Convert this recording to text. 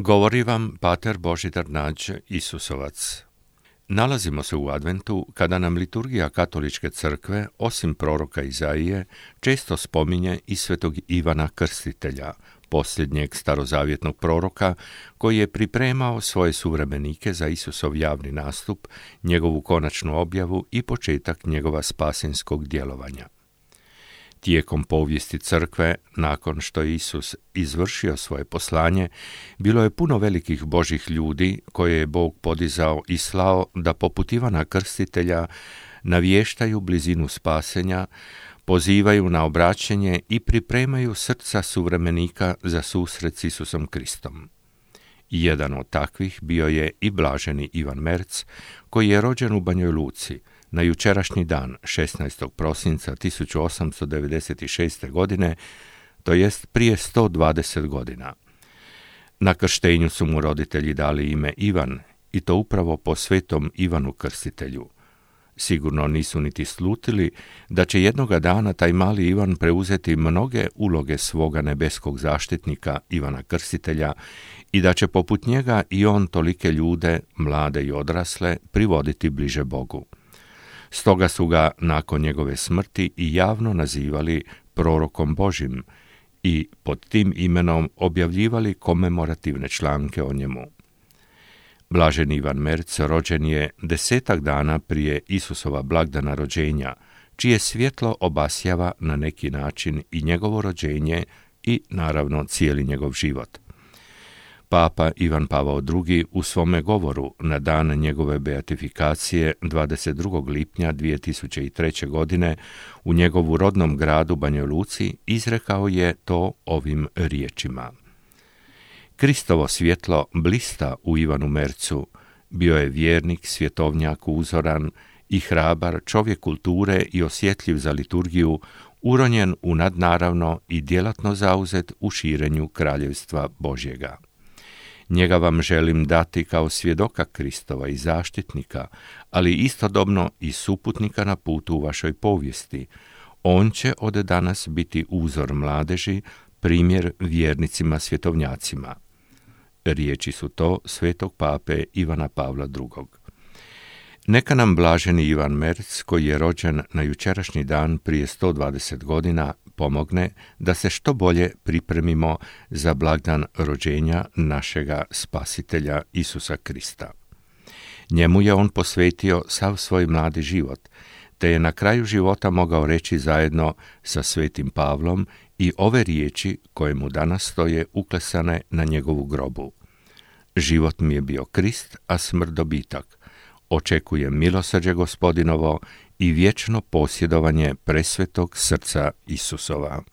Govori vam pater Božidar Nađ, Isusovac. Nalazimo se u adventu kada nam liturgija Katoličke crkve, osim proroka Izaije, često spominje i svetog Ivana Krstitelja, posljednjeg starozavjetnog proroka koji je pripremao svoje suvremenike za Isusov javni nastup, njegovu konačnu objavu i početak njegova spasenskog djelovanja. Tijekom povijesti crkve, nakon što je Isus izvršio svoje poslanje, bilo je puno velikih Božjih ljudi koje je Bog podizao i slao da poput Ivana Krstitelja navještaju blizinu spasenja, pozivaju na obraćanje i pripremaju srca suvremenika za susret s Isusom Kristom. Jedan od takvih bio je i blaženi Ivan Merc, koji je rođen u Banjoj Luci na jučerašnji dan, 16. prosinca 1896. godine, to jest prije 120 godina. Na krštenju su mu roditelji dali ime Ivan, i to upravo po svetom Ivanu Krstitelju. Sigurno nisu niti slutili da će jednoga dana taj mali Ivan preuzeti mnoge uloge svoga nebeskog zaštitnika Ivana Krstitelja i da će poput njega i on tolike ljude, mlade i odrasle, privoditi bliže Bogu. Stoga su ga nakon njegove smrti i javno nazivali prorokom Božjim i pod tim imenom objavljivali komemorativne članke o njemu. Blaženi Ivan Merc rođen je 10 dana prije Isusova blagdana rođenja, čije svjetlo obasjava na neki način i njegovo rođenje i, naravno, cijeli njegov život. Papa Ivan Pavao II. U svome govoru na dan njegove beatifikacije 22. lipnja 2003. godine u njegovu rodnom gradu Banjoj Luci izrekao je to ovim riječima. Kristovo svjetlo blista u Ivanu Mercu, bio je vjernik, svjetovnjak uzoran i hrabar, čovjek kulture i osjetljiv za liturgiju, uronjen u nadnaravno i djelatno zauzet u širenju kraljevstva Božjega. Njega vam želim dati kao svjedoka Kristova i zaštitnika, ali istodobno i suputnika na putu u vašoj povijesti. On će od danas biti uzor mladeži, primjer vjernicima svjetovnjacima. Riječi su to svetog pape Ivana Pavla II. Neka nam blaženi Ivan Merc, koji je rođen na jučerašnji dan prije 120 godina, pomogne da se što bolje pripremimo za blagdan rođenja našega spasitelja Isusa Krista. Njemu je on posvetio sav svoj mladi život, te je na kraju života mogao reći zajedno sa svetim Pavlom i ove riječi koje mu danas stoje uklesane na njegovu grobu. Život mi je bio Krist, a smrt dobitak. Očekujem milosrđe Gospodinovo i vječno posjedovanje presvetog srca Isusova.